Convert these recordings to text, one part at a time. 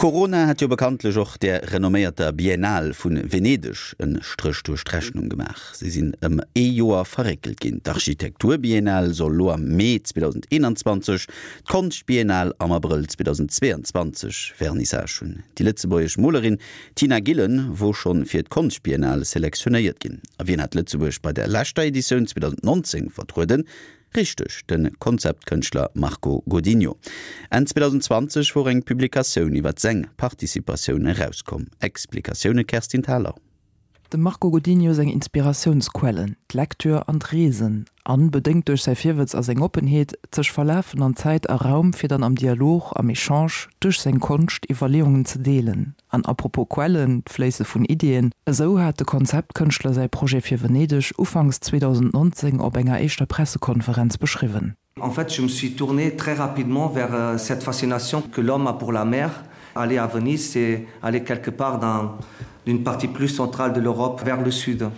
Corona hat jo bekanntlech och där renomméierter Biennale vu Venedeg en Stréch duerch d'Rechnung gemaach. Si sinn ëm ee Joer verréckelt ginn. D'Architekturbiennale soll lo am Mee 2021, d'Konschtbiennale am Abrëll 2022 Vernissage hunn. Déi lëtzebuergesch Molerin Tina Gillen wor schonn fir d'Konschtbiennale selektionéiert ginn. A wien hat Lëtzebuerg bei der leschter Editioun 2019 vertrueden? Richteg, de Konzeptkënschtler Marco Godinho. Enn 2020 wor eng Publikatioun iwwer seng Participatioun erauskomm. Explikatioune Kerstin Thalau. Dem Marco Godinho seng Inspiratiounsquellen, d'Lecture an d'Reesen, an, bedéngt duerch säi Virwëtz a seng Oppenheet, d'sech verlafen an Zäit a Raum, fir dann am Dialog, am Echange, duerch seng Konscht, Iwwerleeungen ze deelen. An apropos Quellen, d'Fléisse vun Iddien, esou hat de Konzeptkënschtler säi Projet fir Venedeg ufanks 2019 op enger éischter Pressekonferenz beschriwwen. En fait, je me suis tourné très rapidement vers cette fascination que l'homme a pour la mer. Aller à Venise, c'est aller quelque part dans une partie plus centrale de l'Europe vers le sud.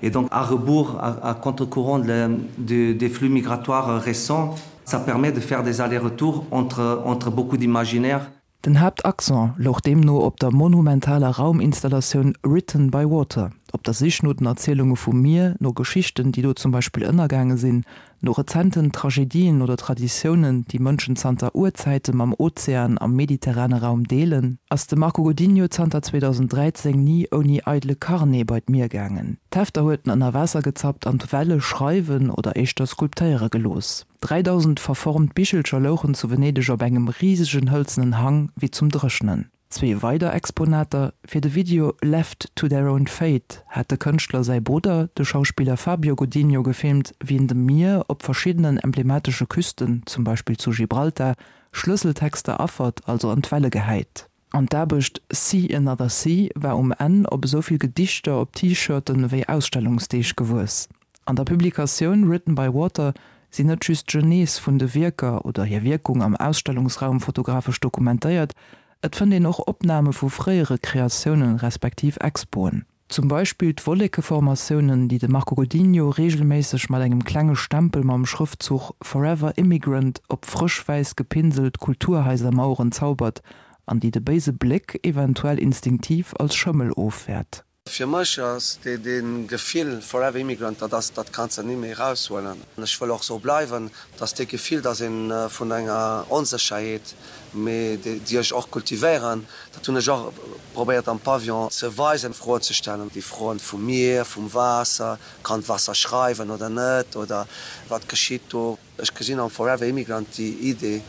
Et donc à rebours, à, à contre-courant de, de, des flux migratoires récents, ça permet de faire des allers-retours entre, entre beaucoup d'imaginaires. Den Haaptaccent louch deemno op der monumentaler Rauminstallatioun Written by Water, op der Sich no den Erzielunge vum Mier, no Geschichten, déi do zum Beispill ënnergaange sinn, no rezenten Tragedien oder Traditiounen, déi Mënschen zanter Urzäite mam Ozean am mediterrane Raum deelen. Ass de Marco Godinho zanter 2013 ni ouni eidele Carnet bei d'Mier gaangen. D'Hefter huet en ënner Waasser gezappt an d'Welle schreiwen oder éischter skulptéiere gelooss. 3.000 verformt Bichelcher louchen zu Venedeg op engem risegen hëlzenen Hang wéi zum Dréchnen. Zwee weider Exponater, Fir de Video Left to their own fate hat de Kënschtler säi Brudder, de Schauspiller Fabio Godinho, gefilmt, wéi en dem Mier op verschiddenen emblematesche Küsten, zum Beispill zu Gibraltar, Schlësseltexter affert, also an d'Welle gehäit. An d'Aarbecht See Another Sea war um Enn op esou vill Gedichter op T-Shirten ewéi Ausstellungsdeeg gewuess. An der Publikatioun Written by Water sinn net just d'Genese vun de Wierker oder hir Wierkung am Ausstellungsraum fotografesch dokumentéiert, et fënnt een och Opname vu fréiere Kreatiounen respektiv Expoen. Zum Beispill d'Wollekeformatiounen, déi de Marco Godinho reegelméisseg mat engem klenge Stempel mam Schrëftzuch Forever Immigrant op frësch wäiss gepinselt Kulturhaisermaueren zaubert an déi de béise Bléck eventuell instinktiv als Schëmmel ofwäert. Fir mech ass dee Gefill Forever Immigrant, dat ass, dat kanns de ni méi eraushuelen. Ech wëll och sou bleiwen, dass dee Gefill, dass ee vun enger Onsécherheet mee déi ech och kultivéieren, dat hunn ech och probéiert am Pavillon ze weisen, Froen ze stellen, déi Froen vum Mier, vum Waasser, kann d'Waasser schreiwen oder net, oder wat geschitt do? Ech gesinn am Forever Immigrant déi Idee,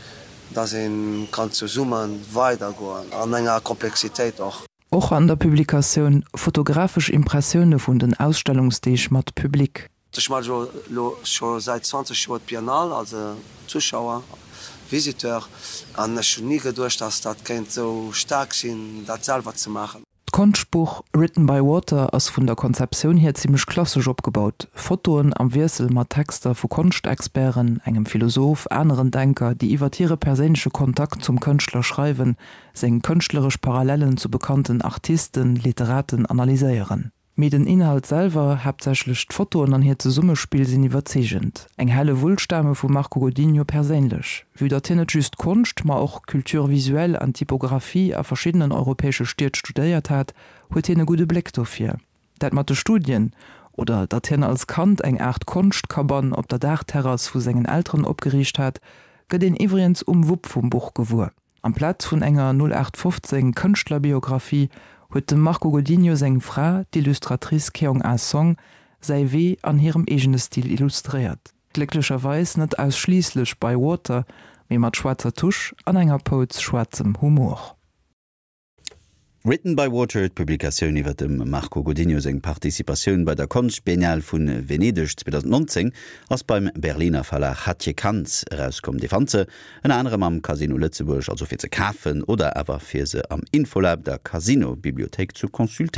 dass ee kann zesumme weidergoen, an enger Komplexitéit och. Och an der Publikatioun Fotografesch Impressioune vun den Ausstellungsdeeg mat Public. Ech maache jo elo scho säit 20 Joer d'Biennale als Zuschauer, Visiteur, an ech hunn ni geduecht, dass dat kéint esou staark sinn, dat selwer ze maachen. D'Konschtbuch Written by Water ass vun der Konzeptioun hier zimmlech klassesch opgebaut, Fotoen am Wiessel mat Texter vu Konschtexperten, engem Philosoph, aneren Denker, déi iwwer hire perséinleche Kontakt zum Kënschtler schreiwen, seng kënschtleresch Parallellen zu bekannten Artisten, Literaten analyséieren. Mee den Inhalt selwer, haaptsächlech d'Fotoen an hiert Zesummespill sinn iwwerzeegend. Eng Hellewull stame vum Marco Godinho perséinlech. Vue datt hien net just Konscht, ma och Culture visuelle an Typographie a verschiddenen europäesche Stied studéiert hat, huet hien e gudde Bléck dofir. Dat mat de Studien, oder datt hien als Kand eng Aart Konschtkabann op der Daachterrass vu sengen Elteren opgeriicht hat, gëtt een iwwregens um Wupp vum Buch gewuer. Amplaz vun enger 0815 Kënschtlerbiographie huet dem Marco Godinho seng Fra, d'Illustratrice Keong Ah Song, säi Wee an hirem eegene Stil illustréiert. Glécklecherweis net ausschliisslech by water, mee mat schwaarzer Tusch an enger Pouz schwaarzem Humor. Written by Water, d'Publikatioun iwwer dem Marco Godinho seng Participatioun bei der Konschtbiennale vu Venedeg 2019, ass beim Berliner Verlag Hatje Cantz erauskomm. Dir fannt se ënner anerem am Casino Lëtzebuerg, also fir ze kafen oder awer fir se am Infolab, der Casino-Bibliothéik, zu consultéieren.